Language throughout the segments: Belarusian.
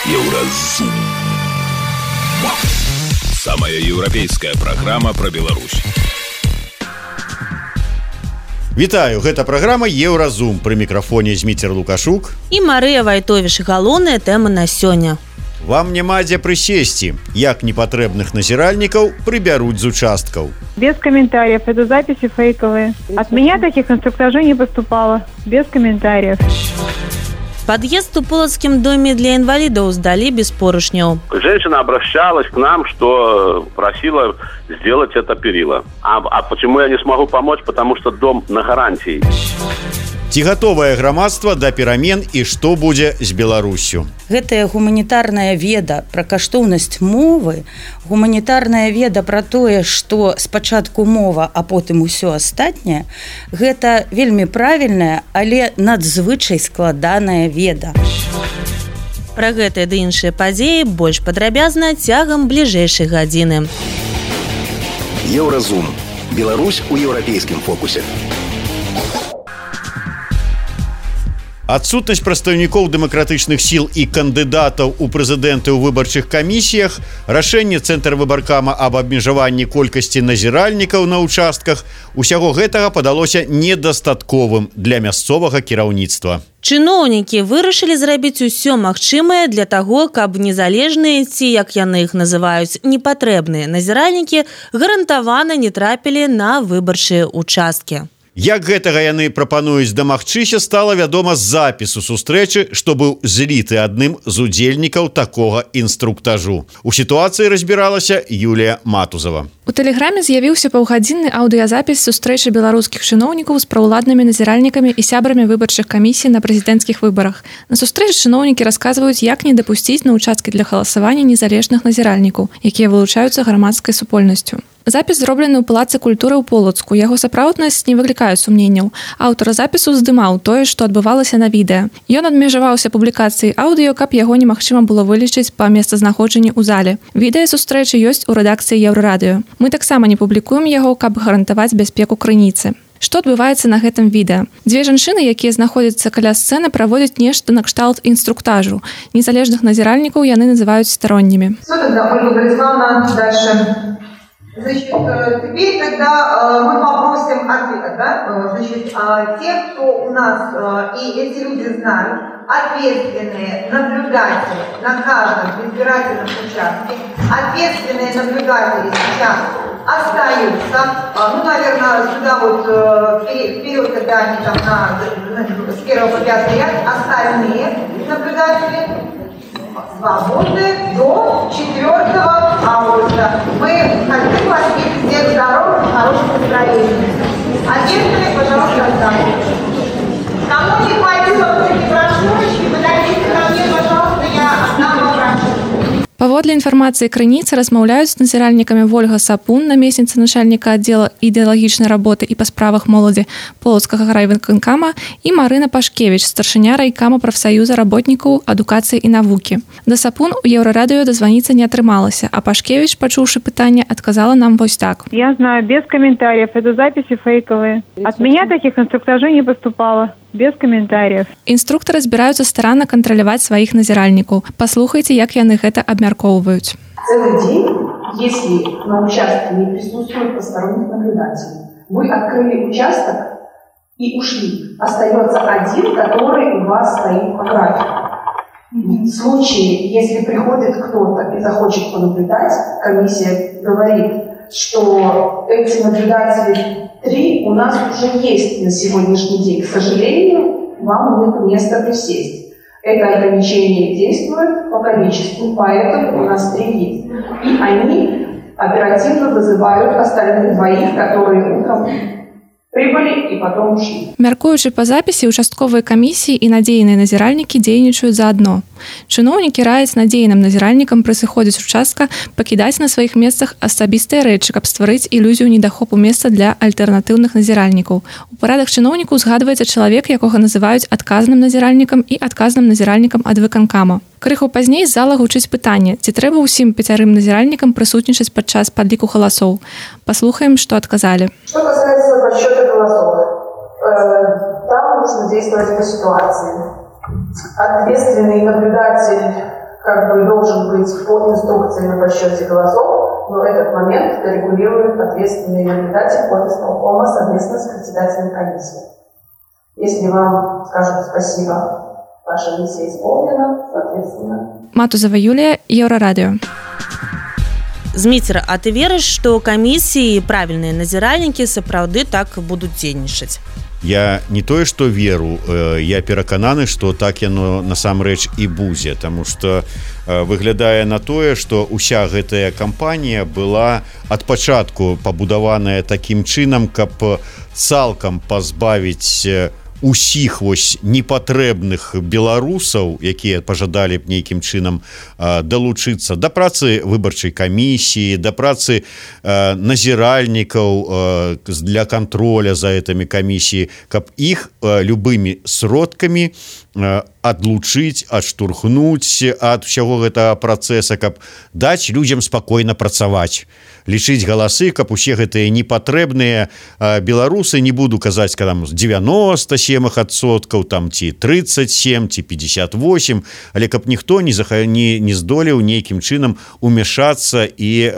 Еўразум. Самая еўрапейская праграма пра Беларусь. Вітаю, гэта праграма Еўразум. Пры мікрафоне Зміцер Лукашук і Марыя Вайтовіш. Галоўныя тэмы на сёння. Вам няма дзе прысесці. Як непатрэбных назіральнікаў прыбяруць з участкаў. Без комментариев. Это записи фейковые. От меня таких инструктажей не поступало. Без комментариев. Подъезд в Полоцком доме для инвалидов сдали без поручнев. Женщина обращалась к нам, что просила сделать это перила. А почему я не смогу помочь? Потому что дом на гарантии. Ці гатовае грамадства да перамен і што будзе з Беларуссю? Гэтая гуманітарная веда пра каштоўнасць мовы, гуманітарная веда пра тое, што спачатку мова, а потым усё астатняе, гэта вельмі правільная, але надзвычай складаная веда. Пра гэтыя ды іншыя падзеі больш падрабязна цягам бліжэйшай гадзіны. Еўразум. Беларусь у еўрапейскім фокусе. Адсутнасць прадстаўнікоў дэмакратычных сіл і кандыдатаў у прэзідэнты ў выбарчых камісіях, рашэнне Цэнтрвыбаркама аб абмежаванні колькасці назіральнікаў на ўчастках – усяго гэтага падалося недастатковым для мясцовага кіраўніцтва. Чыноўнікі вырашылі зрабіць усё магчымае для таго, каб незалежныя ці, як яны іх называюць, непатрэбныя назіральнікі гарантавана не трапілі на выбарчыя ўчасткі. Як гэтага яны прапануюць дамагчыся, стала вядома з запісу сустрэчы, што быў зліты адным з удзельнікаў такога інструктажу. У сітуацыі разбіралася Юлія Матузава. У тэлеграме з'явіўся паўгадзінны аўдыязапіс сустрэчы беларускіх чыноўнікаў з праўладнымі назіральнікамі і сябрамі выбарчых камісій на прэзідэнцкіх выбарах. На сустрэчы чыноўнікі расказваюць, як не дапусціць на ўчасткі для галасавання незалежных назіральнікаў, якія вылучаюцца грамадскай супольнасцю. Запіс зроблены ў Палацы культуры ў Полацку. Яго сапраўднасць не выклікае сумненняў. Аўтар запісу здымаў тое, што адбывалася на відэа. Ён адмежаваўся публікацыяй аўдыё, каб яго немагчыма было вылічыць па месцазнаходжанні ў зале. Відэа сустрэчы ёсць у рэдакцыі Еўрарадыё. Мы таксама не публікуем яго, каб гарантаваць бяспеку крыніцы. Што адбываецца на гэтым відэа? Дзве жанчыны, якія знаходзяцца каля сцэны, праводзяць нешта на кшталт инструктажу. Незалежных назіральнікаў яны называюць стороннімі. Значит, теперь, когда мы попросим ответа, да, значит, те, кто у нас, и эти люди знают, ответственные наблюдатели на каждом избирательном участке, ответственные наблюдатели сейчас остаются, ну, наверное, сюда вот вперед, когда они там с 1 по 5 ряд, остальные наблюдатели свободны до 4 августа. Мы хотим вас видеть всех здоровых, в хорошем настроении. Ответственные, пожалуйста, останьтесь. Кому не хватило вот эти брошюрочки, подойдите ко мне, пожалуйста, я отдам вам брошюрку. Паводле інфармацыі крыніцы размаўляюць з назіральнікамі Вольга Сапун, намесніца начальніка аддзела ідэалагічнай работы і па справах моладзі Полацкага райвыканкама, і Марына Пашкевіч, старшыня райкама прафсаюза работнікаў адукацыі і навукі. Да Сапун у Еўрарадыё дазваніцца не атрымалася, а Пашкевіч, пачуўшы пытанне, адказала нам вось так. Я знаю, без комментариев. Это записи фейковые. От меня таких инструктажей не поступало. Без комментариев. Інструктары збіраюцца старанна кантраляваць сваіх назіральнікаў. Паслухайце, як яны гэта абмяркоўваюць. Целый день, если на участке не присутствует посторонних наблюдателей, вы открыли участок и ушли. Остается один, который у вас стоит по графику. В случае, если приходит кто-то и захочет понаблюдать, комиссия говорит, что эти наблюдатели 3 у нас уже есть на сегодняшний день. К сожалению, вам нет места присесть. Это ограничение действует по количеству, поэтому у нас 3 есть. И они оперативно вызывают остальных 2, которые утром прибыли и потом ушли. Мяркуючы па запісе, участковыя камісіі і надзейныя назіральнікі дзейнічаюць заадно. Чыноўнікі раяць надзейным назіральнікам пры сыходзе з участка пакідаць на сваіх месцах асабістыя рэчы, каб стварыць ілюзію недахопу месца для альтэрнатыўных назіральнікаў. У парадах чыноўнікаў згадваецца чалавек, якога называюць адказным назіральнікам і адказным назіральнікам ад выканкама. Крыху пазней з зала гучыць пытанне, ці трэба ўсім 5 назіральнікам прысутнічаць падчас падліку галасоў. Паслухаем, што адказалі. Что касается подсчета голосов, там нужно действовать по ситуации. Ответственный наблюдатель как бы должен быть по инструкции на подсчете голосов, но этот момент регулирует ответственный наблюдатель от исполкома совместно с председателем комиссии. Если вам скажут спасибо, ваша миссия исполнена, соответственно. Матузова Юлия, Еврорадио. Зміцер, а ты верыш, што камісіі і правільныя назіральнікі сапраўды так будуць дзейнічаць? Я не тое, што веру, я перакананы, што так яно насамрэч і будзе, таму што выглядае на тое, што ўся гэтая кампанія была ад пачатку пабудаваная такім чынам, каб цалкам пазбавіць усіх вось непатрэбных беларусаў, якія пажадалі б нейкім чынам далучыцца да працы выбарчай камісіі, да працы назіральнікаў для контроля за гэтымі камісіі, каб іх любымі сродкамі адлучыць, адштурхнуць ад усяго гэтага працэса, каб даць людзям спакойна працаваць, лічыць галасы, каб усе гэтыя непатрэбныя беларусы, не буду казаць, там 97%, там ці 37, ці 58, але каб ніхто не здолеў нейкім чынам умяшацца і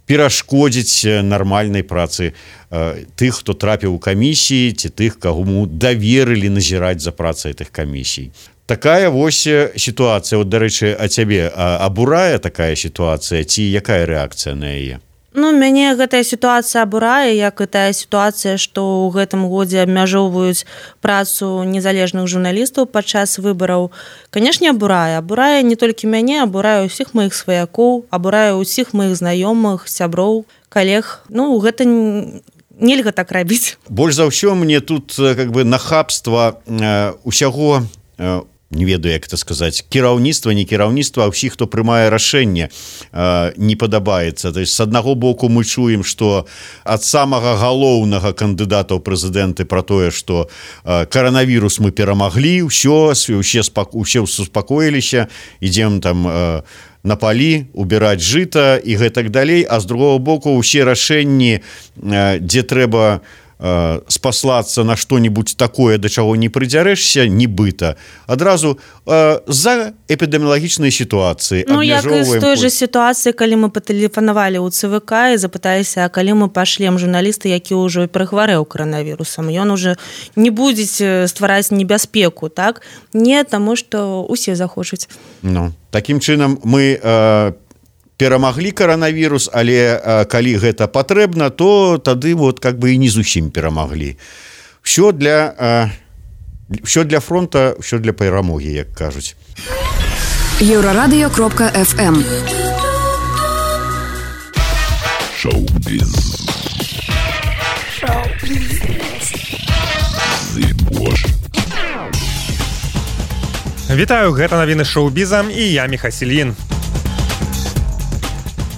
перашкодзіць нармальнай працы тых, хто трапіў у камісіі, ці тых, каму даверылі назіраць за працай гэтых камісій. Такая вось сітуацыя, от, дарэчы, а цябе абурае такая сітуацыя, ці якая рэакцыя на яе? Ну, мяне гэтая сітуацыя абурае, як і тая сітуацыя, што ў гэтым годзе абмяжоўваюць працу незалежных журналістаў падчас выбараў. Канешне, абурае не толькі мяне, абурае ўсіх маіх сваякоў, абурае ўсіх маіх знаёмых, сяброў, калег. Ну, гэта нельга так рабіць. Больш за ўсё мне тут как бы нахабства усяго, не ведаю, як это сказаць, кіраўніцтва, не кіраўніцтва, а ўсіх, хто прымае рашэнне, не падабаецца. То есть, з аднаго боку мы чуем, што ад самага галоўнага кандыдата ў прэзідэнты пра тое, што каранавірус мы перамаглі, усе супакоіліся, ідзем там на палі, убіраць жыта і гэтак далей, а з другого боку ўсе рашэнні, дзе трэба спаслацца на што-нибудь такое, да чаго не прыдзярэшся, нібыта, адразу з-за эпідэміялагічнай сітуацыі. Ну, як і з той жа сітуацыі, калі мы патэлефанавалі ў ЦВК і запыталіся, а калі мы пашлем журналіста, які ўжо перахварэў каранавірусам, ён уже не будзе ствараць небяспеку, так? Не, таму што усе захочуць. Ну, такім чынам мы перамаглі каранавірус, але калі гэта патрэбна, то тады вот как бы і не зусім перамаглі. Всё для фронта, всё для перамогі, як кажуць. Еврорадио.FM. Шоу-біз. Вітаю, гэта навіны шоу-біза і я Міхасілін.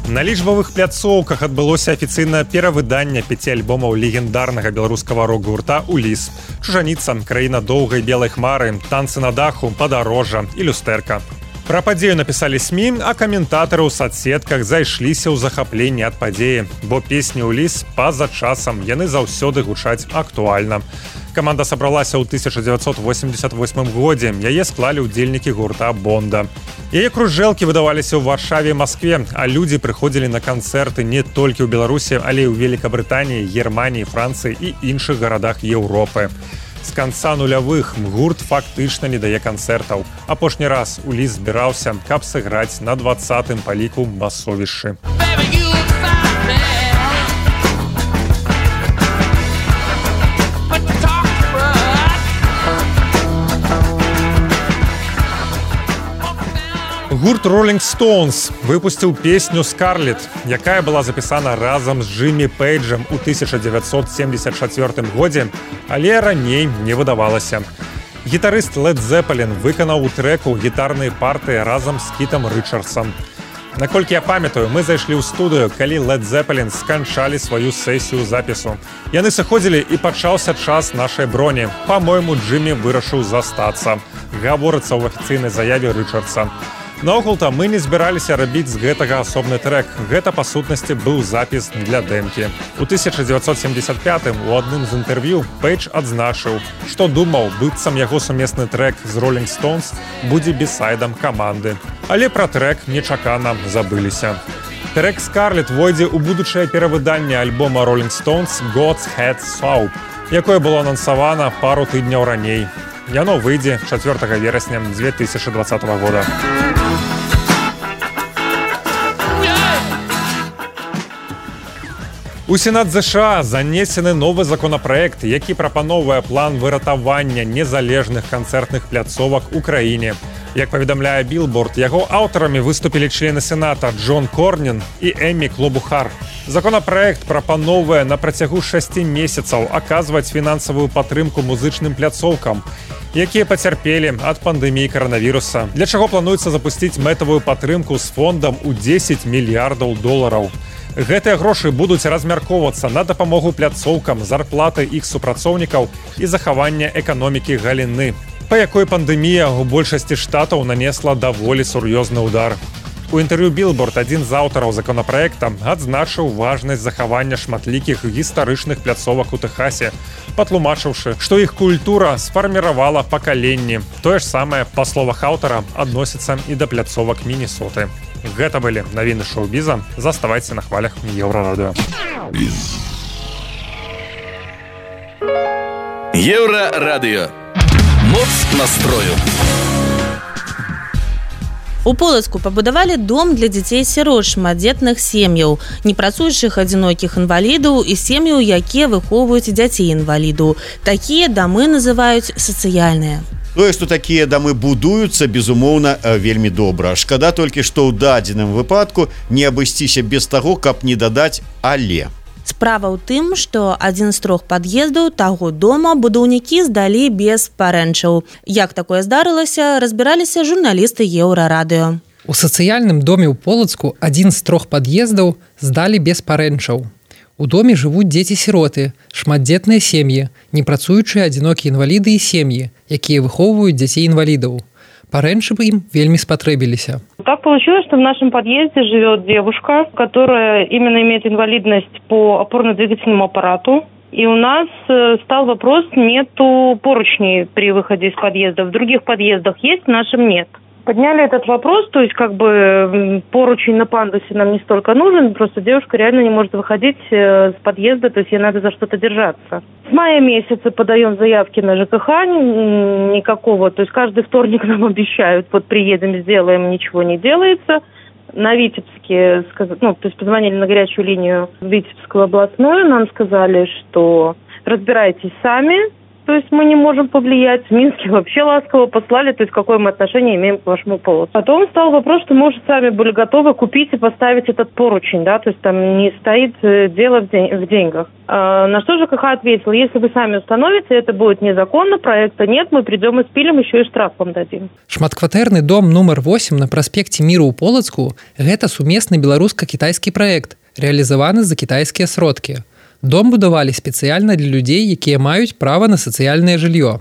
На лічбавых пляцоўках адбылося афіцыйнае перавыданне 5 альбомаў легендарнага беларускага рок-гурта «Уліс». «Чужаніца», «Краіна доўгай белай хмары», «Танцы на даху», «Падарожжа» і «Люстэрка». Пра падзею напісалі СМІ, а каментатары ў садсетках зайшліся ў захапленні ад падзеі, бо песні «Уліс» па-за часам яны заўсёды гучаць актуальна. Каманда сабралася ў 1988 годзе, яе склалі ўдзельнікі гурта «Бонда». Яе кружэлкі выдаваліся ў Варшаве і Маскве, а людзі прыходзілі на канцэрты не толькі ў Беларусі, але і ў Великабрытаніі, Германіі, Францыі і іншых гарадах Еўропы. З канца нулявых гурт фактычна не дае канцэртаў. Апошні раз «Уліс» збіраўся, каб сыграць на 20-м па ліку басовішчы. Гурт Rolling Stones выпусціў песню «Скарлет», якая была запісана разам з Джиммі Пейджам у 1974 годзе, але раней не выдавалася. Гітарыст Led Zeppelin выканаў у трэку гітарныя партыі разам з Кітам Рычардсам. Наколькі я памятаю, мы зайшлі ў студыю, калі Led Zeppelin сканчалі сваю сесію запісу. Яны сыходзілі і пачаўся час нашай броні. Па-мойму, Джиммі вырашыў застацца. Гаворыцца ў афіцыйнай заяве Рычардса. Наогул-то мы не збіраліся рабіць з гэтага асобны трек. Гэта, па сутнасці, быў запіс для дэмкі. У 1975-м у адным з інтэрв'ю Пейдж адзначыў, што думаў, быццам яго сумесны трек з Rolling Stones будзе бісайдам каманды. Але пра трек нечакана забыліся. Трек «Скарлет» войдзе ў будучае перавыданне альбома Rolling Stones «God's Head Soup», якое было анансавана пару тыдняў раней. Яно выйдзе 4 верасня 2020 года. У Сенат США занесены новы законапраект, які прапановвае план выратавання незалежных канцэртных пляцовак у краіне. Як паведамляе Billboard, яго аўтарамі выступілі члены Сената Джон Корнін і Эммі Клобухар. Законапраект прапановвае на працягу 6 месяцаў аказваць фінансавую падтрымку музычным пляцоўкам, якія пацярпелі ад пандэміі каранавіруса, для чаго плануецца запусціць мэтавую падтрымку з фондам у $10 мільярдаў. Гэтыя грошы будуць размяркоўвацца на дапамогу пляцоўкам, зарплаты іх супрацоўнікаў і захавання эканомікі галіны, па якой пандэмія ў большасці штатаў нанесла даволі сур'ёзны ўдар. У інтэрв'ю Billboard адзін з аўтараў законапраекта адзначыў важнасць захавання шматлікіх гістарычных пляцовак у Тэхасе, патлумачыўшы, што іх культура сфарміравала пакаленні. Тое ж самае, па словах аўтара, адносіцца і да пляцовак Міннесоты. Гэта былі навіны шоу-біза. Заставайце на хвалях Еўрарадыё. Еўрарадыё. Моц настрою. У Полацку пабудавалі дом для дзяцей-сірот шматдзетных сем'яў, непрацуючых адзінокіх інвалідаў і сем'яў, якія выхоўваюць дзяцей-інвалідаў. Такія дамы называюць сацыяльныя. Тое, што такія дамы будуюцца, безумоўна, вельмі добра. Шкада толькі, што ў дадзеным выпадку не абысціся без таго, каб не дадаць «але». Справа ў тым, што адзін з 3 пад'ездаў таго дома будаўнікі здалі без парэнчаў. Як такое здарылася, разбіраліся журналісты Еўрарадыё. У сацыяльным доме ў Полацку адзін з 3 пад'ездаў здалі без парэнчаў. У доме жывуць дзеці-сіроты, шматдзетныя сем'і, непрацуючыя адзінокія інваліды і сем'і, якія выхоўваюць дзяцей-інвалідаў. Парэнчы бы им вельмі спотребилися. Так получилось, что в нашем подъезде живет девушка, которая именно имеет инвалидность по опорно-двигательному аппарату. И у нас стал вопрос, нету поручней при выходе из подъезда. В других подъездах есть, в нашем нет. Подняли этот вопрос, то есть как бы поручень на пандусе нам не столько нужен, просто девушка реально не может выходить с подъезда, то есть ей надо за что-то держаться. С мая месяца подаем заявки на ЖКХ, никакого, то есть каждый вторник нам обещают, вот приедем, сделаем, ничего не делается. На Витебске, то есть позвонили на горячую линию в Витебскую областную, нам сказали, что разбирайтесь сами. То есть мы не можем повлиять. В Минске вообще ласково послали, то есть какое мы отношение имеем к вашему Полоцку. Потом стал вопрос, что мы уже сами были готовы купить и поставить этот поручень, да, то есть там не стоит дело в деньгах. На что ЖКХ ответил, если вы сами установите, это будет незаконно, проекта нет, мы придем и спилим, еще и штраф вам дадим. Шматкватэрны дом нумар 8 на праспекце Міру ў Полацку – гэта сумесны беларуска-кітайскі праект, рэалізаваны за кітайскія сродкі. Дом будавалі спецыяльна для людзей, якія маюць права на сацыяльнае жыллё.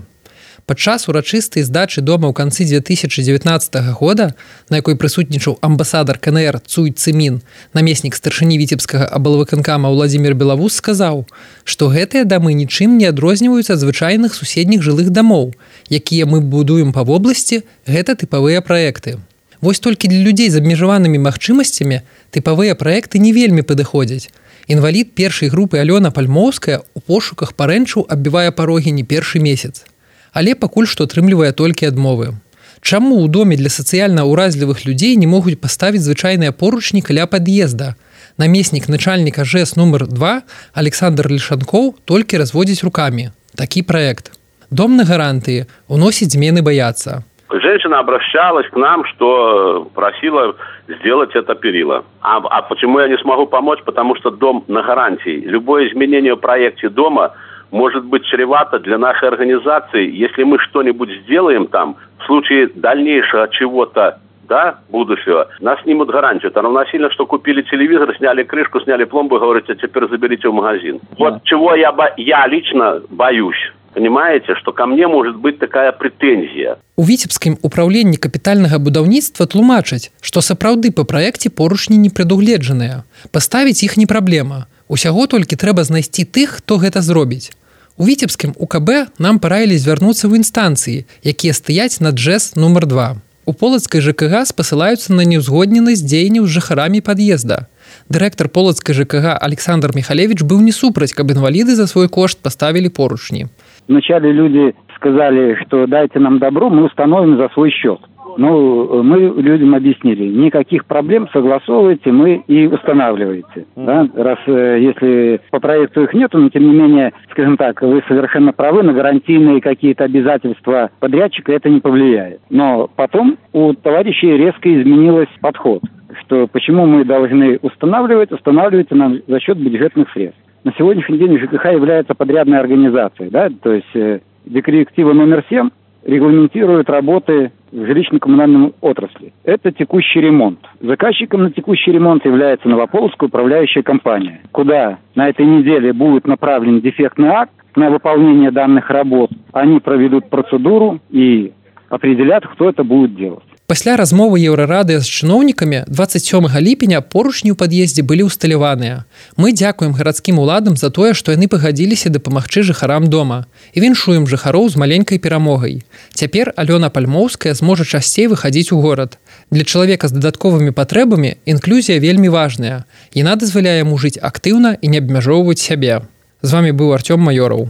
Падчас урачыстай здачы дома ў канцы 2019 года, на якой прысутнічаў амбасадар КНР Цуй Цымін, намеснік старшыні віцебскага аблвыканкама Владзімір Белавус сказаў, што гэтыя дамы нічым не адрозніваюцца ад звычайных суседніх жылых дамоў, якія мы будуем па вобласці, гэта тыпавыя праекты. Вось толькі для людзей з абмежаванымі магчымасцямі тыпавыя праекты не вельмі падыходзяць. Інвалід першай групы Алёна Пальмоўская у пошуках парэнчаў аббівае парогі не першы месяц. Але пакуль што атрымлівае толькі адмовы. Чаму ў доме для сацыяльна ўразлівых людзей не могуць паставіць звычайныя поручні каля пад'езда? Намеснік начальніка ЖЭС нумар 2 Александр Лішанкоў толькі разводзіць рукамі. Такі праект. Дом на гарантыі, уносіць змены баяцца. Женщина обращалась к нам, что просила сделать это перила. А почему я не смогу помочь? Потому что дом на гарантии. Любое изменение в проекте дома может быть чревато для нашей организации. Если мы что-нибудь сделаем там, в случае дальнейшего чего-то, да, будущего, нас снимут гарантию. Это равносильно, что купили телевизор, сняли крышку, сняли пломбу и говорите, теперь заберите в магазин. Вот чего я лично боюсь. Понимаете, что ко мне может быть такая претензия. У віцебскім упраўленні капітальнага будаўніцтва тлумачаць, што сапраўды па праекце поручні не прадугледжаныя. Паставіць іх не праблема. Усяго толькі трэба знайсці тых, хто гэта зробіць. У віцебскім УКБ нам параілі звярнуцца ў інстанцыі, якія стаяць над ЖЭС нумар 2. У полацкай ЖКГ спасылаюцца на неўзгодненасць дзеянняў з жыхарамі пад'езда. Дырэктар полацкай ЖКГ Александр Михалевич быў не супраць, каб інваліды за свой кошт поставілі поручні. Вначале люди сказали, что дайте нам добро, мы установим за свой счет. Ну, мы людям объяснили, никаких проблем, согласовывайте, мы и устанавливаете. Да? Раз если по проекту их нету, но тем не менее, скажем так, вы совершенно правы, на гарантийные какие-то обязательства подрядчика это не повлияет. Но потом у товарищей резко изменился подход, что почему мы должны устанавливать нам за счет бюджетных средств. На сегодняшний день ЖКХ является подрядной организацией, да, то есть директива номер 7 регламентирует работы в жилищно-коммунальной отрасли. Это текущий ремонт. Заказчиком на текущий ремонт является Новополоцкая управляющая компания, куда на этой неделе будет направлен дефектный акт на выполнение данных работ. Они проведут процедуру и определят, кто это будет делать. Пасля размовы Еўрарадыё з чыноўнікамі 27 ліпеня поручні ў пад'ездзе былі ўсталяваныя. Мы дзякуем гарадскім уладам за тое, што яны пагадзіліся дапамагчы жыхарам дома. І віншуем жыхароў з маленькай перамогай. Цяпер Алёна Пальмоўская зможа часцей выхадзіць у горад. Для чалавека з дадатковымі патрэбамі інклюзія вельмі важная. Яна дазваляе яму жыць актыўна і не абмяжоўваць сябе. З вамі быў Артём Маёраў.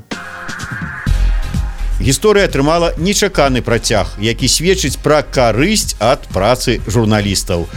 Гісторыя атрымала нечаканы працяг, які сведчыць пра карысць ад працы журналістаў.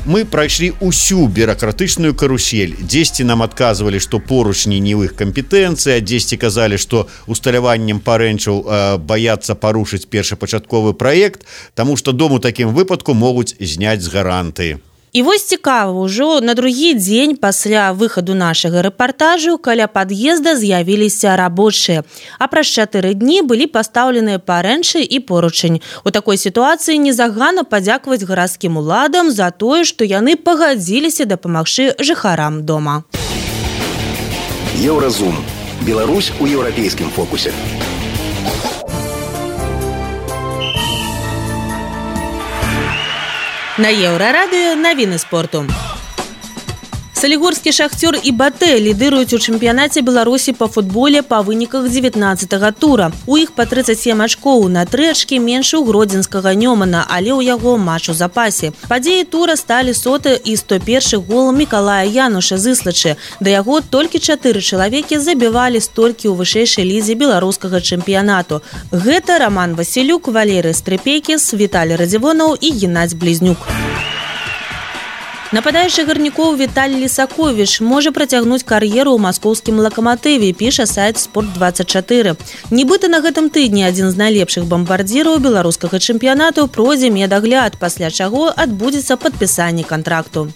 Мы прайшлі ўсю бюракратычную карусель. Дзесьці нам адказвалі, што поручні не ў іх кампетэнцыі, а дзесьці казалі, што усталяваннем парэнчаў баяцца парушыць першапачатковы праект, таму што дом у такім выпадку могуць зняць з гаранты. І вось цікава, ужо на другі дзень пасля выхаду нашага рэпартажу каля пад'езда з'явіліся рабочыя. А праз 4 дні былі пастаўленыя парэнчы і поручань. У такой сітуацыі незагана падзякаваць гарадскім уладам за тое, што яны пагадзіліся дапамагчы жыхарам дома. Еўразум. Беларусь у еўрапейскім фокусе. На Еўрарадыё навіны спорту. Салігорскі «Шахцёр» і «Батэ» лідыруюць у чэмпіянаце Беларусі па футболе па выніках 19-го тура. У іх па 37 ачкоў, на 3 ачкі менш у гродзенскага Нёмана, але ў яго матч у запасе. Падзеі тура сталі 100 і 101 гол Мікалая Януша з Іслачы. Да яго толькі 4 чалавекі забівалі столькі ў вышэйшай лізе беларускага чэмпіянату. Гэта Роман Васілюк, Валерый Стрыпекіс, Віталій Радзівонаў і Геннадзь Блізнюк. Нападаючы гарнікоў Віталій Лісаковіч можа працягнуць кар'еру ў маскоўскім «Лакаматыве», піша сайт «Спорт24». Нібыта на гэтым тыдні адзін з найлепшых бамбардзіраў беларускага чэмпіянату пройдзе медагляд, пасля чаго адбудзецца падпісанне кантракту.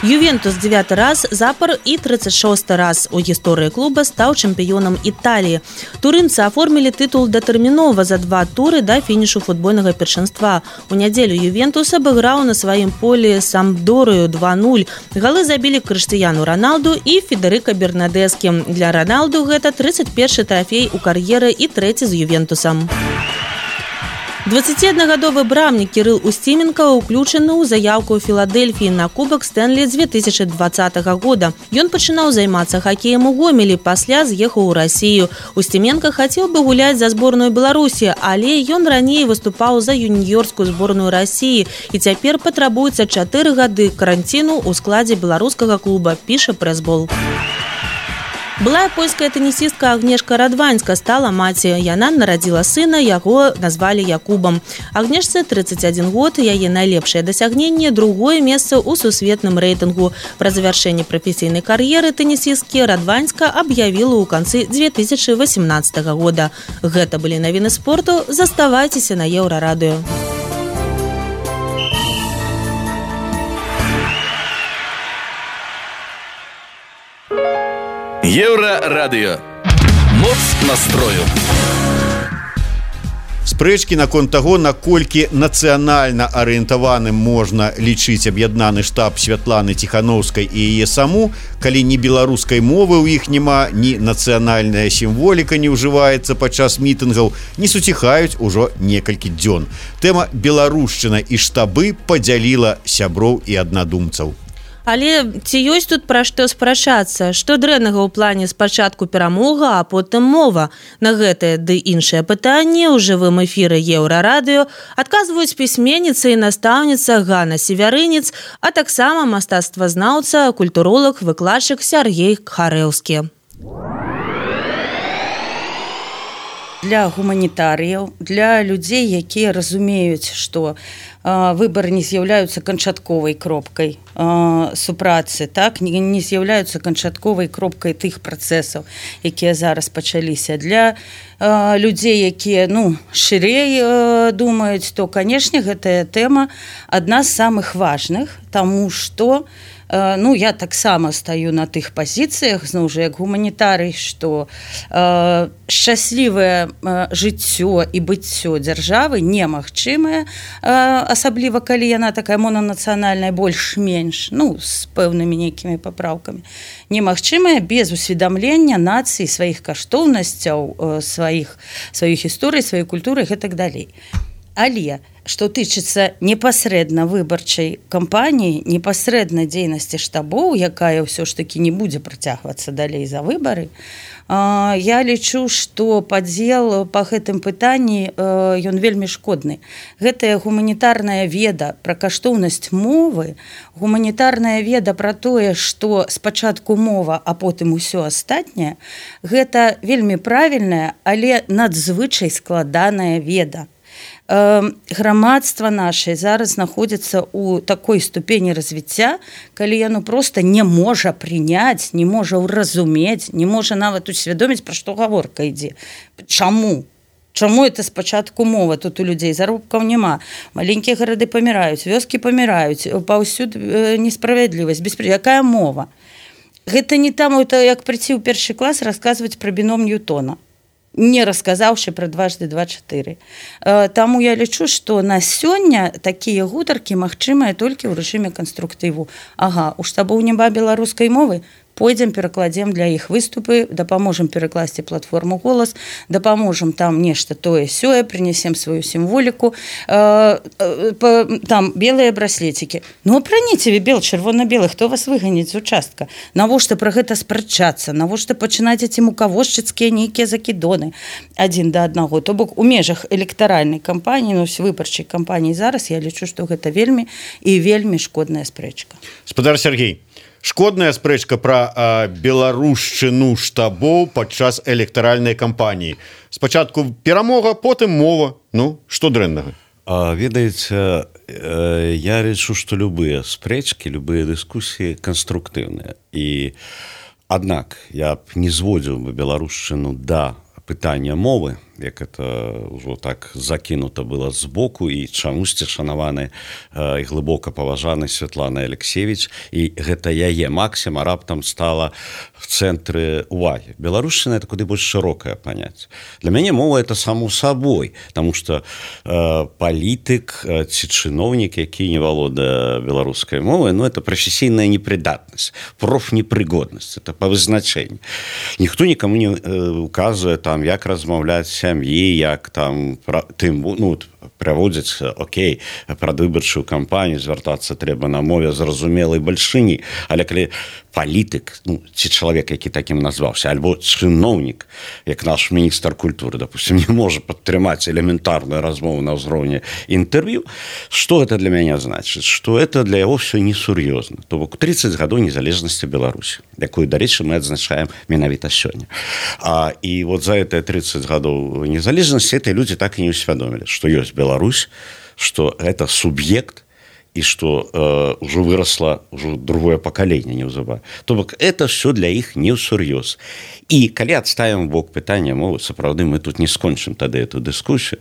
Ювентус 9 раз запар і 36 раз у гісторыі клуба стаў чэмпіёнам Італіі. Турынцы аформілі тытул датэрмінова за 2 туры да фінішу футбольнага першынства. У нядзелю Ювентус абыграў на сваім полі Сампдорыю 2-0. Галы забілі Крыштыяну Роналду і Федэрыка Бернадэскі. Для Роналду гэта 31-й трафей у кар'еры і 3-й з Ювентусам. 21-гадовы брамнік Кірыл Устіменка ўключаны ў заяўку ў Філадельфіі на кубак Стэнлі 2020 года. Ён пачынаў займацца хакеем у Гомелі, пасля з'ехаў у Расію. Устіменка хацеў бы гуляць за зборную Беларусі, але ён раней выступаў за юніёрскую зборную Расіі і цяпер патрабуецца 4 гады каранціну ў складзе беларускага клуба, піша прэс-бол. Былая польская тэнісістка Агнешка Радваньска стала маці. Яна нарадзіла сына, яго назвалі Якубам. Агнешцы 31 год, яе найлепшае дасягненне – 2-е месца ў сусветным рэйтынгу. Пра завяршэнне прафесійнай кар'еры тэнісісткі Радваньска аб'явіла ў канцы 2018 года. Гэта былі навіны спорту. Заставайцеся на Еўрарадыё. Еўрарадыё. Моц настрою. Спрэчкі наконт таго, наколькі нацыянальна арыентаваным можна лічыць аб'яднаны штаб Святланы Ціхановскай і яе саму, калі ні беларускай мовы ў іх няма, ні нацыянальная сімволіка не ўжываецца падчас мітынгаў, не суціхаюць ужо некалькі дзён. Тэма беларушчына і штабы падзяліла сяброў і аднадумцаў. Але ці ёсць тут пра што спрачацца? Што дрэннага ў плане спачатку перамога, а потым мова? На гэтае ды іншыя пытанні ў жывым эфіры Еўрарадыё адказваюць пісьменніца і настаўніца Ганна Севярынец, а таксама мастацтвазнаўца, культуролог, выкладчык Сяргей Харэўскі. Для гуманітарыяў, для людзей, якія разумеюць, што выбары не з'яўляюцца канчатковай кропкай супрацы, так, не з'яўляюцца канчатковай кропкай тых працэсаў, якія зараз пачаліся. Для людзей, якія шырэй думаюць, то, канешне, гэтая тэма адна з самых важных, таму што я таксама стаю на тых пазіцыях, зноў жа, як гуманітарый, што шчаслівае жыццё і быццё дзяржавы немагчымае, асабліва калі яна такая монанацыянальная, больш-менш, з пэўнымі нейкімі папраўкамі, немагчымая без усведамлення нацыі, сваіх каштоўнасцяў, сваіх гісторый, сваёй культуры і так далей. Але, што тычыцца непасрэдна выбарчай кампаніі, непасрэдна дзейнасці штабоў, якая ўсё ж такі не будзе працягвацца далей за выбары, я лічу, што падзел па гэтым пытанні ён вельмі шкодны. Гэтая гуманітарная веда пра каштоўнасць мовы, гуманітарная веда пра тое, што спачатку мова, а потым усё астатняе, гэта вельмі правільная, але надзвычай складаная веда. Грамадства нашае зараз знаходзіцца ў такой ступені развіцця, калі яно проста не можа прыняць, не можа ўразумець, не можа нават усвядоміць, пра што гаворка ідзе. Чаму? Чаму это спачатку мова? Тут у людзей заробкаў няма. Маленькія гарады паміраюць, вёскі паміраюць, паўсюд несправядлівасць, беспредел. Якая мова? Гэта не там, як прыйти ў першы клас расказваць пра біном Ньютона, не расказаўшы пра 2x2=4. Таму я лічу, што на сёння такія гутаркі магчымыя толькі ў рэжыме канструктыву. У штабоў няма беларускай мовы, пойдзем, перакладзем для іх выступы, дапаможам перакласці платформу «Голас», дапаможам там нешта тое-сёе, прынесем сваю сімволіку, там белыя браслетікі. Апраніце вы бел, чырвона-белы, хто вас выганіць з участка? Навошта пра гэта спрачацца? Навошта пачынаць эти мукавошчыцкія нейкія закідоны адзін да аднаго? То бок у межах электаральнай кампаніі, выбарчай кампаніі зараз, я лічу, што гэта вельмі і вельмі шкодная спрэчка. Спадар Сергей, шкодная спрэчка пра беларушчыну штабоў падчас электаральнай кампаніі. Спачатку перамога, потым мова. Што дрэннага? Ведаеце, я лічу, што любыя спрэчкі, любыя дыскусіі канструктыўныя. Аднак я б не зводзіў бы беларушчыну да пытання мовы, як это ўжо так закінута было збоку, і чамусьці шанаваны і глыбока паважаны Святлана Алексеевич, і гэта яе максіма раптам стала в цэнтры увагі. Беларушчына — это куды больш шырокае паняцце. Для мяне мова — это само сабой, таму што палітык ці чыноўнік, які не валодае беларускай мовай, это прафесійная непрыдатнасць, профнепрыгоднасць, это па вызначэнні. Ніхто нікому не указвае там, як размаўляць сям'і, як там праводзіць, прадвыбарчую кампанію, звяртацца трэба на мове зразумелай бальшыні. Але калі палітык, ці чалавек, які такім назваўся, альбо чыноўнік, як наш міністр культуры, допустим, не можа падтрымаць элементарную размову на ўзроўні інтэрв'ю, што гэта для мяне значыць? Што это для яго все несур'ёзна. То бок 30 гадоў незалежнасці Беларусі, якую, дарэчы, мы адзначаем менавіта сёння. І за гэтыя 30 гадоў незалежнасці эти людзі так і не ўсвядомілі, што ёсць Беларусь, што гэта суб'ект, і што ўжо вырасла другое пакаленне неўзабаве. То бок это все для іх не ўсур'ёз. І калі адставім бок пытання мовы, сапраўды мы тут не скончым тады эту дыскусію.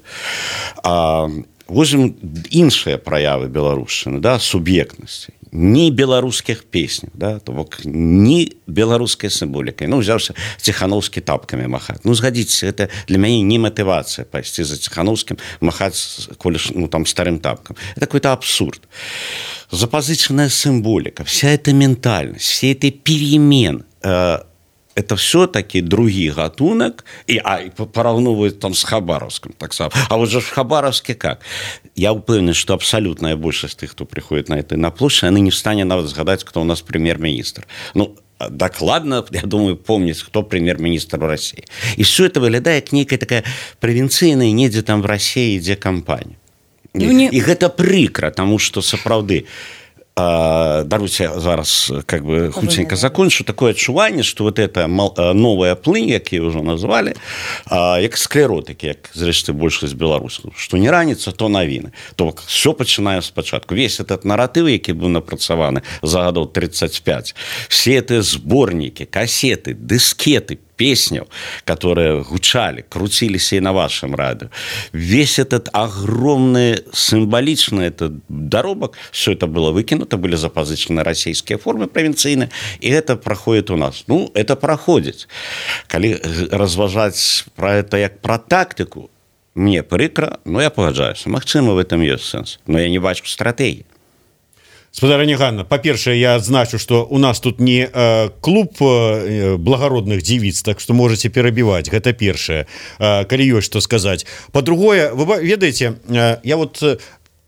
Возьмем іншыя праявы беларушчыны, суб'ектнасці. ні беларускіх песняў, да? То бок ні беларускай сімволікай. Ну, взяўся Ціхановскі тапкамі махаць. Ну, згадзіцеся, гэта для мяне не матывацыя пайсці за Ціхановскім махаць там старым тапкам. Это какой-то абсурд. Запозыченная символика, вся эта ментальность, все эти перемены, это все-таки другий гатунок, и пораўновывают там с Хабаровским, так само. А вот же в Хабаровске как? Я уверен, что абсолютная большинство тех, кто приходит на площадь, они не встанет нават згадать, кто у нас премьер-министр. Ну, докладно, я думаю, помнить, кто премьер-министр в России. И все это выглядает как некая такая провинцийная, недзе там в России, где компания. І гэта прыкра, таму што сапраўды даруйце зараз как бы хутченька закончу такое адчуванне, што вот эта новая плынь, якія ўжо назвалі, як склеротыкі, як зрэшты большасць беларусаў, што не раніца, то навіны. То бок все пачынае спачатку. Весь этот наратыў, які быў напрацаваны за гадоў 35, все эти сборники, кассеты, дискеты, песняў, которые гучали, крутились и на вашем радио. Весь этот огромный символичный этот доробок, все это было выкинуто, были запозычены российские формы провинцийные, и это проходит у нас. Ну, это проходит. Коли разважать про это как про тактику, мне прикро, но я погоджаюсь. Магчыма, в этом есть сенс. Но я не бачу стратегии. Спадарыня Ганна, па-першае, я адзначу, што у нас тут не клуб благородных дзівіц, так што можаце перабіваць, гэта першае, калі ёсць што сказаць. Па-другое, вы ведаеце, я вот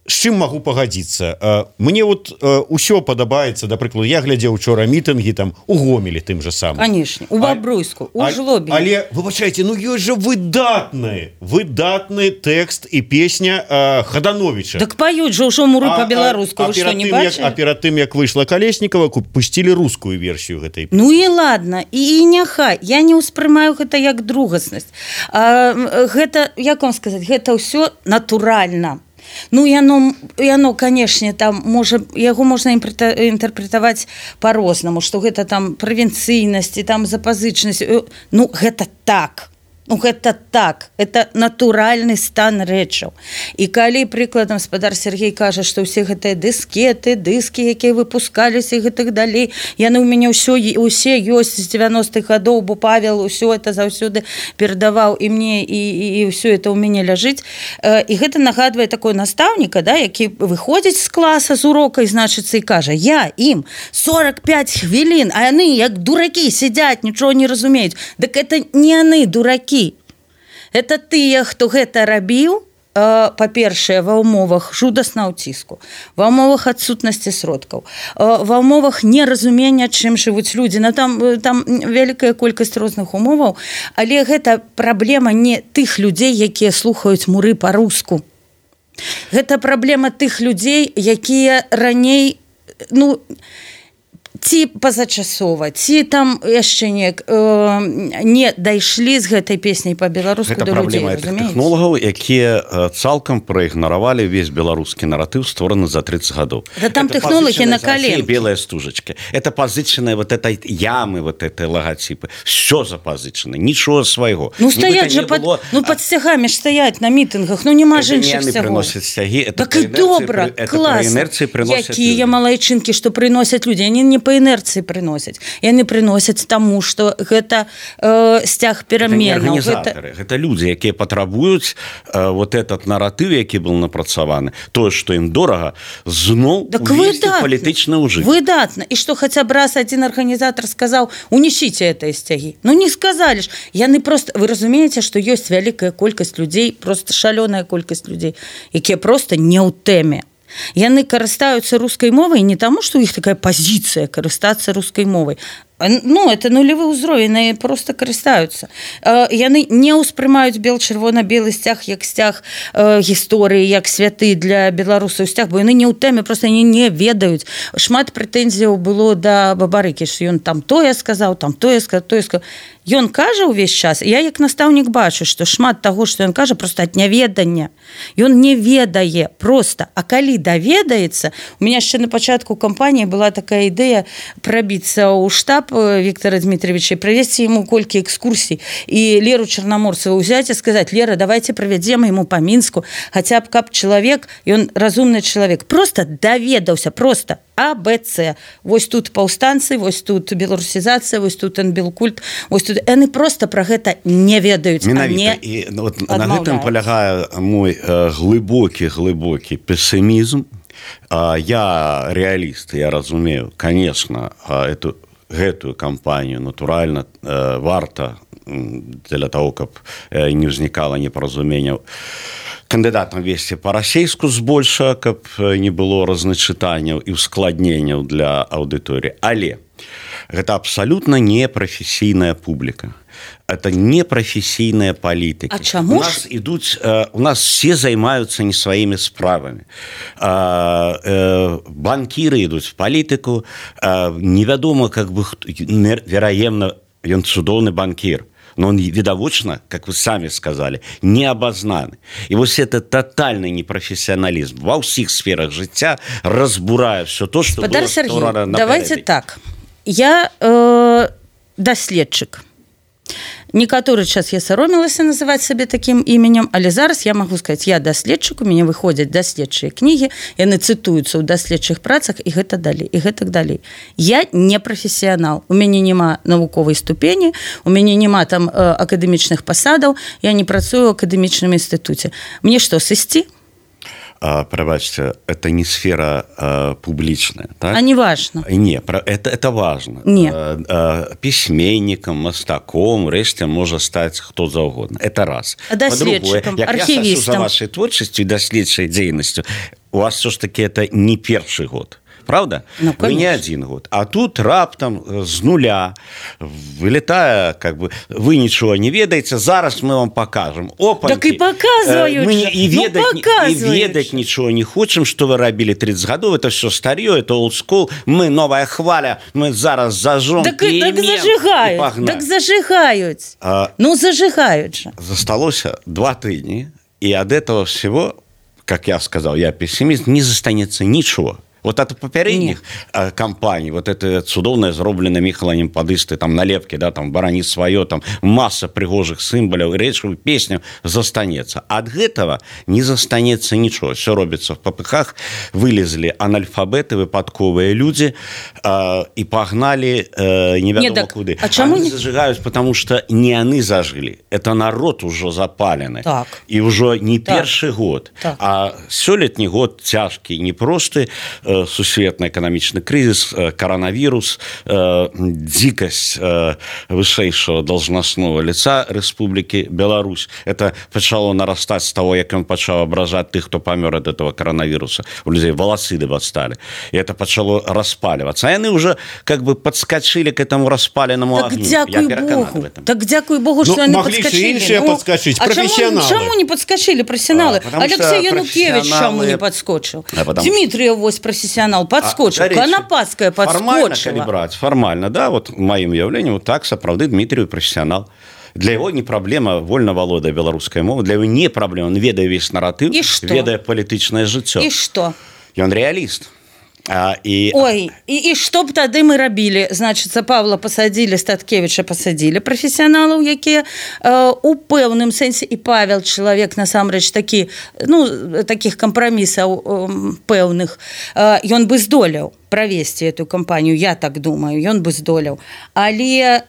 з чым магу пагадзіцца? Мне вот ўсё падабаецца, да прыкладу, я глядзеў учора мітынгі там у Гомелі тым же самым. Конечно, у Бабруйску, у Жлобі. Але, выбачайце, ну ёсць жа выдатны тэкст і песня Хадановича. Так паюць жа ўжо муры па-беларуску, вы што, не бачылі? А перад тым, як выйшла Калеснікава, пусцілі рускую версію гэтай песні. Ну і ладно, і няхай, я не ўспрымаю гэта як другаснасць. Гэта, як вам сказаць, гэта ўсё натуральна. Ну, яно, конечно, там яго можна інтэрпрэтаваць по-рознаму, што гэта там правінцыйнасць і там запазычнасць. Ну, гэта так. Ну, гэта так, это натуральны стан рэчаў. І калі прыкладам спадар Сергей кажа, што ўсе гэтыя дыскеты, дыскі, якія выпускаліся і гэтых далей, яны ў мяне усе ёсць з 90-х гадоў, бо Павел усё это заўсёды перадаваў і мне, і ўсё это ў мяне ляжыць. І гэта нагадвае такой настаўніка, да, які выходзіць з класа з урока і, значыцца, і кажа, я ім 45 хвілін, а яны як дуракі сядзяць, нічого не разумеюць. Дык это не яны дуракі. Это тыя, хто гэта рабіў, па-першае, ва ўмовах жудаснага ўціску, ва ўмовах адсутнасці сродкаў, ва ўмовах неразумення, чым жывуць людзі. Там вялікая колькасць розных умоваў, але гэта праблема не тых людзей, якія слухаюць муры па-руску. Гэта праблема тых людзей, якія раней, ну, ці пазачасова, ці там яшчэ не дайшлі з гэтай песняй па-беларуску да людзей, разумееце? Гэта праблема тэхнолагаў, якія цалкам праігнаравалі весь беларускі наратыў, створаны за 30 гадоў. Да там тэхнолагі на коленке. Белая стужачка. Это пазычаныя вот этой ямы, вот этой логотипы. Все запазычана, нічого свайго. Ну, стаять же под сцягамі ж стаять на мітынгах, ну нема ж іншых сцягоў. Так і добра, класна. Якія малайчынкі, што прыносяць людзі, яны не по інерцыі прыносяць. Яны прыносяць таму, што гэта сцяг пераменаў. Гэта людзі, якія патрабуюць вот этот наратыў, які был напрацаваны. Тое, што ім дорага, зноў увесці палітычны ўжыт. Выдатна. І што хаця б раз адзін арганізатар сказаў, унесіце гэтыя сцягі. Ну не сказалі ж. Яны просто, вы разумееце, што ёсць вялікая колькасць людзей, просто шалёная колькасць людзей, якія просто не ў тэме. Яны карыстаюцца рускай мовай не таму, што ў іх такая пазіцыя карыстацца рускай мовай. Ну, это нулевы ўзровень, яны просто карыстаюцца. Яны не ўспрымаюць бел-чырвона-белы сцяг як сцяг гісторыі, як святы для беларусаў сцяг, бо яны не ў тэме, просто яны не ведаюць. Шмат прэтэнзіяў было да Бабарыкі, што ён там тое сказаў, там тое сказаў, тое сказаў. ён кажа ўвесь час, я як настаўнік бачу, што шмат таго, што ён кажа, просто ад няведання. Ён не ведае просто. А калі даведаецца, у меня яшчэ на пачатку кампаніі была такая ідэя прабіцца ў штаб Віктора Дмитриевича і правесці яму колькі экскурсій і Леру Чарнаморцеву ўзяць і сказаць: Лера, давайте правядзем яму па Мінску, хаця б каб чалавек, ён разумны чалавек, просто даведаўся, просто А, Б, С. Вось тут паўстанцы, вось тут беларусізацыя, вось тут анбелкульт, вось тут яны просто пра гэта не ведаюць. Менавіта. І от на гэтым полягае мой глыбокі пессимізм. Я реаліст, я разумею, конечно, гэтую кампанію натуральна варта для того, каб не ўзнікала непаразуменняў кандыдатам весці па-расейску збольша, каб не было разначытанняў і ускладненняў для аўдыторыі. Але гэта абсалютна не прафесійная публіка. Это не профессийная политика. А чаму? У нас все займаются не своими справами. Банкиры идут в политику. Невядомо, как бы, вероятно, он цудоўны банкир. Но он видовочно, как вы сами сказали, не обознаны. И вот это тотальный непрофессионализм во всех сферах життя разбурая все то, что было створено наперед. Давайте так. Я даследчык. Некаторы час я саромілася называць сабе такім іменем, але зараз я магу сказаць, я даследчык, у мяне выходзяць даследчыя кнігі, яны цытуюцца ў даследчых працах і гэта далей, і гэтак далей. Я не прафесіянал, у мяне няма навуковай ступені, у мяне няма там акадэмічных пасадаў, я не працую ў акадэмічным інстытуце. Мне што, сысці? Пробачьте, это не сфера публичная, так? А не важно. Не, это важно. Письменником, мастаком, реште может стать кто угодно. Это раз. Доследчиком, архивистом. Я слежу за вашей творчеством и доследчей деятельностью. У вас все-таки это не первый год. Правда? Ну, вы не один год. А тут раптом с нуля, вылетая, как бы, вы ничего не ведаете, зараз мы вам покажем. Опаньки. Так и показывают мы и ведать ничего не хотим, что вы робили 30 годов, это все старье, это олдскул, мы новая хваля, мы зараз зажжем. Так зажигают, так зажигают. Ну, зажигают же. Засталось 2 тыдни, и от этого всего, как я сказал, я пессимист, не застанется ничего. Вот от попередних кампаний, вот это цудоўное зроблено Михаланем Падысты, там налепки, да, там барани свое, там масса пригожих символов, речевых песню застанется. От этого не застанется ничего. Все робится в попыхах. Вылезли анальфабеты, выпадковые люди и погнали неведомо куды. А чему они зажигают, потому что не они зажили. Это народ уже запаленный. Так. И уже не первый год. Так. А сёлетний год тяжкий, непростый. Сусветны эканамічны крызіс, коронавірус, дзікасць вышэйшего должностного лица Республики Беларусь. Это пачало нарастать с того, як ён пачаў абражаць тых, хто памёр от этого коронавируса. У людей волосы отстали. И это пачало распаливаться. А яны уже как бы подскочили к этому распаленному так огню. Я переканан в этом. Так дякую Богу, что они подскочили. Подскочить, а чему не подскочили профессионалы? Алексей Янукевич чему не подскочил? Дмитриев вось профессионал подскочил, Конопадская подскочила. Формально, да, вот моим явлением, вот так, сапраўды, Дмитрий профессионал. Для его не проблема вольно володая беларускай мовы, для его не проблема, он ведае весь наратыў, ведае палітычнае жыццё. И что? Ён реалист. Ой, и что б тады мы рабілі? Значыцца, Павла пасадзілі, Статкевіча пасадзілі, прафесіяналаў, якія у пэўным сэнсе, і Павел чалавек насамрэч такі, ну, такіх кампрамісаў пэўных, ён бы здолеў правесці эту кампанію, я так думаю, ён бы здолеў. Але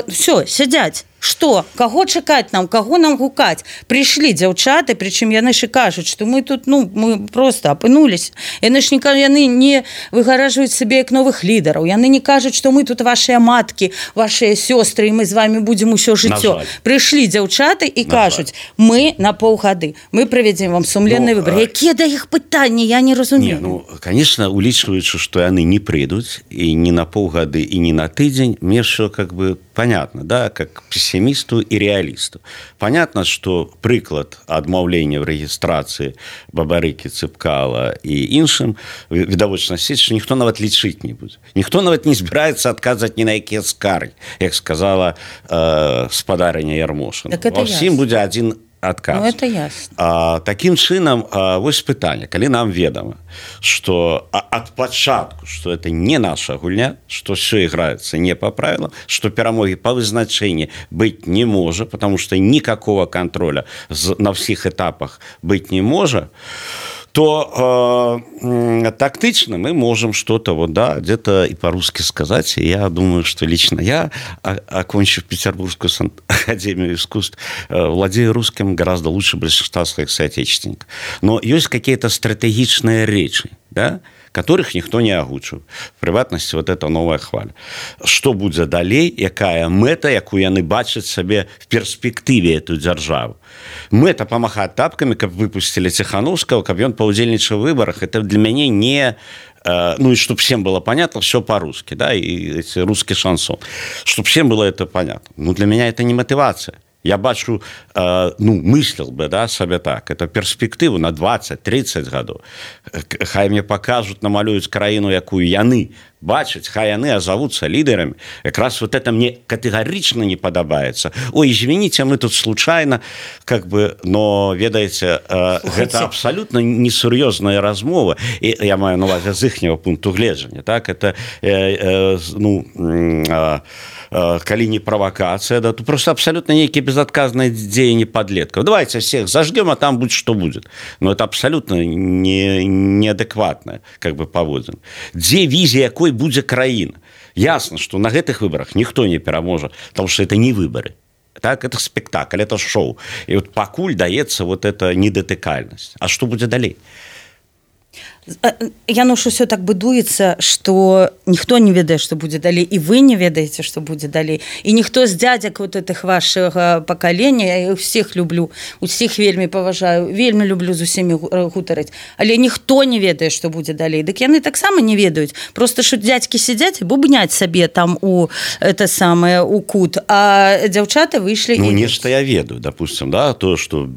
все, сядзяць. Что? Каго чакаць нам? Каго нам гукаць? Прыйшлі дзяўчаты, прычым яны ж кажуць, што мы тут, ну, мы просто апынулись. Яны ж яны не выгаражваюць сабе як новых лідараў. Яны не кажуць, што мы тут вашыя маткі, вашыя сёстры, і мы з вами будзем усё жыццё. Прыйшлі дзяўчаты і кажуць, мы на паўгады, мы правядзем вам сумленны выбор. Якія да іх пытанні, я не разумею. Не, ну, конечно, улічваючы, што яны не прыйдуць і не на паўгады і не на тыдзень, мне все как бы понятно, да, как пессимисту и реалисту. Понятно, что прыклад адмаўлення в рэгістрацыі Бабарыкі, Цыпкала і іншым відавочна сець, што ніхто нават лічыць не будзе. Ніхто нават не збіраецца адказаць ні на якія скаргі, як сказала спадарыня Ярмошына. Так ва ўсім будзе адзін адказ. Ну, это ясно. Таким чынам, вось пытанне, калі нам ведама, что от пачатку, что это не наша гульня, что все играется не по правилам, что перамоги по вызначению быть не может, потому что никакого контроля на всех этапах быть не может, то тактично мы можем что-то вот, да, где-то и по-русски сказать. И я думаю, что лично я, окончив Петербургскую академию искусств, владею русским гораздо лучше большинства своих соотечественников. Но есть какие-то стратегичные речи, да, которых никто не агучыў. В прыватнасці вот эта новая хваля. Што будзе далей, якая мэта, якую яны бачаць сабе в перспектыве эту дзяржаву. Мэта памахаць тапкамі, каб выпусцілі Ціханаўскага, каб ён паўдзельнічаў у выбарах. Это для мяне не... Ну и чтобы всем было понятно, все по-русски, да, и русский шансон. Чтобы всем было это понятно. Ну для меня это не мотивация. Я бачу, мыслил бы, да, себе так, это перспективу на 20-30 годов. Хай мне покажут, намалюют краину, якую яны бачаць, хай яны азовутся лидерами. Как раз вот это мне категорично не подобается. Ой, извините, мы тут случайно, как бы, но, ведаете, это абсолютно несур'ёзная размова. И я маю на увазе з іхняго пункту гледжання, так, это, калі не провокация, да, то просто абсолютно некие безотказные деяния подлетков. Давайте всех зажгем, а там будет что будет. Но это абсолютно неадекватное, как бы, поводзін. Дзе візія, якой будзе краіна? Ясно, что на гэтых выборах никто не пераможа, потому что это не выборы. Так, это спектакль, это шоу. И вот пакуль даецца вот эта недотыкальнасць. А что будет далей? Яно ж усё так будуецца, што ніхто не ведае, што будзе далей, і вы не ведаеце, што будзе далей. І ніхто з дзядзяк вот этих вашага пакалення, я ўсіх люблю, усіх вельмі паважаю, вельмі люблю з усімі гутарыць, але ніхто не ведае, што будзе далей. Дык яны таксама не ведаюць. Просто што дзядзькі сядзяць і бубняць сабе там у это самае у кут, а дзяўчаты выйшлі. Ну нешта я ведаю, допустим, да, то, што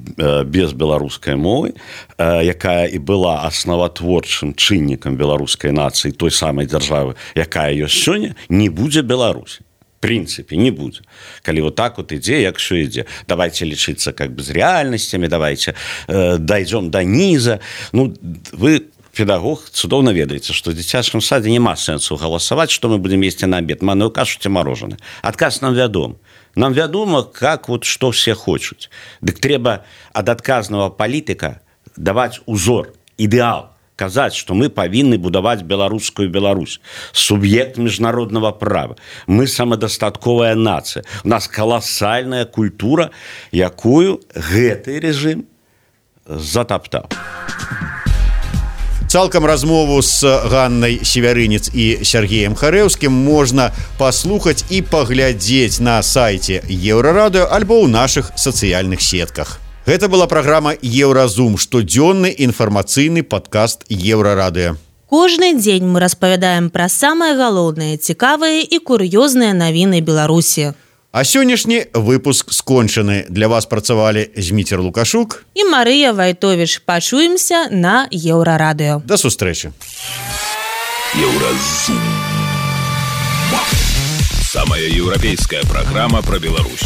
без беларускай мовы, якая і была основатворчым чыннікам беларускай нацыі, той самай дзяржавы, якая ёсць сёння, не будзе Беларусі. В принципе, не будзе. Калі вот так вот ідзе, як всё ідзе. Давайте лічыцца как бы з рэальнасцямі, давайте дойдем до низа. Ну, вы, педагог, цудоўна ведаеце, што в дзіцячым садзе няма сэнсу галасаваць, што мы будем есці на обед. Манную кашу ці мороженое. Адказ нам вядом. Нам вядома, как вот што все хочуць. Дык трэба ад адказнага палітыка даваць узор, ідэал, казаць, што мы павінны будаваць беларускую Беларусь, суб'ект міжнароднага права. Мы самадастатковая нацыя. У нас каласальная культура, якую гэты рэжым затаптаў. Цалкам размову з Ганнай Севярынец і Сергеем Харэўскім можна паслухаць і паглядзець на сайце Еўрарадыё альбо ў нашых сацыяльных сетках. Гэта была праграма «Еўразум», штодзённы інфармацыйны падкаст Еўрарадыё. Кожны дзень мы распавядаем пра самыя галоўныя, цікавыя і кур'ёзныя навіны Беларусі. А сённяшні выпуск скончаны. Для вас працавалі Зміцер Лукашук і Марыя Вайтовіч. Пачуемся на Еўрарадыё. Да сустрэчы. Еўразум. Самая еўрапейская праграма пра Беларусь.